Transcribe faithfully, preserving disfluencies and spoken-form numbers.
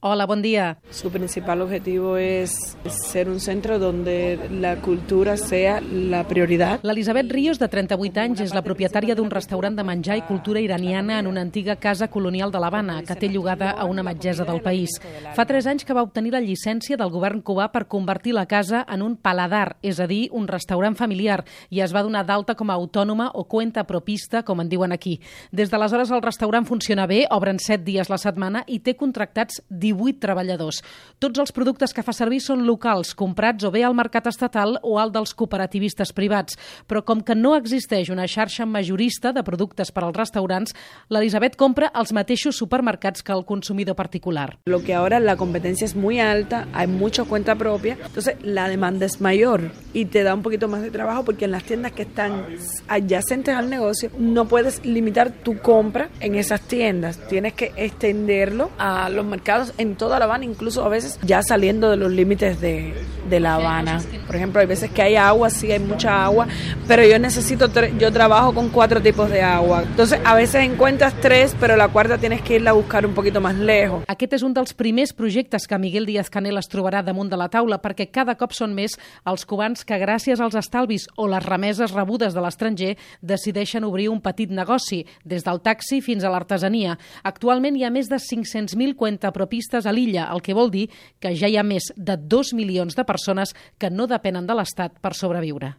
Hola, bon dia. Su principal objetivo es ser un centro donde la cultura sea la prioridad. L'Elisabet Ríos, de trenta-vuit anys, és la propietària d'un restaurant de menjar i cultura iraniana en una antiga casa colonial de l'Havana, que té llogada a una metgessa del país. Fa tres anys que va obtenir la llicència del govern cubà per convertir la casa en un paladar, és a dir, un restaurant familiar, i es va donar d'alta com a autònoma o cuenta propista, com en diuen aquí. Des d'aleshores el restaurant funciona bé, obren set dies la setmana i té contractats divuit treballadors. Tots els productes que fa servir són locals, comprats o bé al mercat estatal o al dels cooperativistes privats. Però com que no existeix una xarxa majorista de productes per als restaurants, l'Elisabet compra als mateixos supermercats que el consumidor particular. Lo que ahora la competencia es muy alta, hay mucha cuenta propia, entonces la demanda es mayor y te da un poquito más de trabajo porque en las tiendas que están adyacentes al negocio no puedes limitar tu compra en esas tiendas, tienes que extenderlo a los mercados en toda La Habana, incluso a veces ya saliendo de los límites de, de La Habana. Por ejemplo, hay veces que hay agua, sí hay mucha agua, pero yo necesito, yo trabajo con cuatro tipos de agua. Entonces, a veces encuentras tres, pero la cuarta tienes que irla a buscar un poquito más lejos. Aquest és un dels primers projectes que Miguel Díaz-Canel es trobarà damunt de la taula, perquè cada cop són més els cubans que, gràcies als estalvis o les remeses rebudes de l'estranger, decideixen obrir un petit negoci, des del taxi fins a l'artesania. Actualment hi ha més de cinc-cents mil cuentapropistes a l'illa, el que vol dir que ja hi ha més de dos milions de persones que no depenen de l'Estat per sobreviure.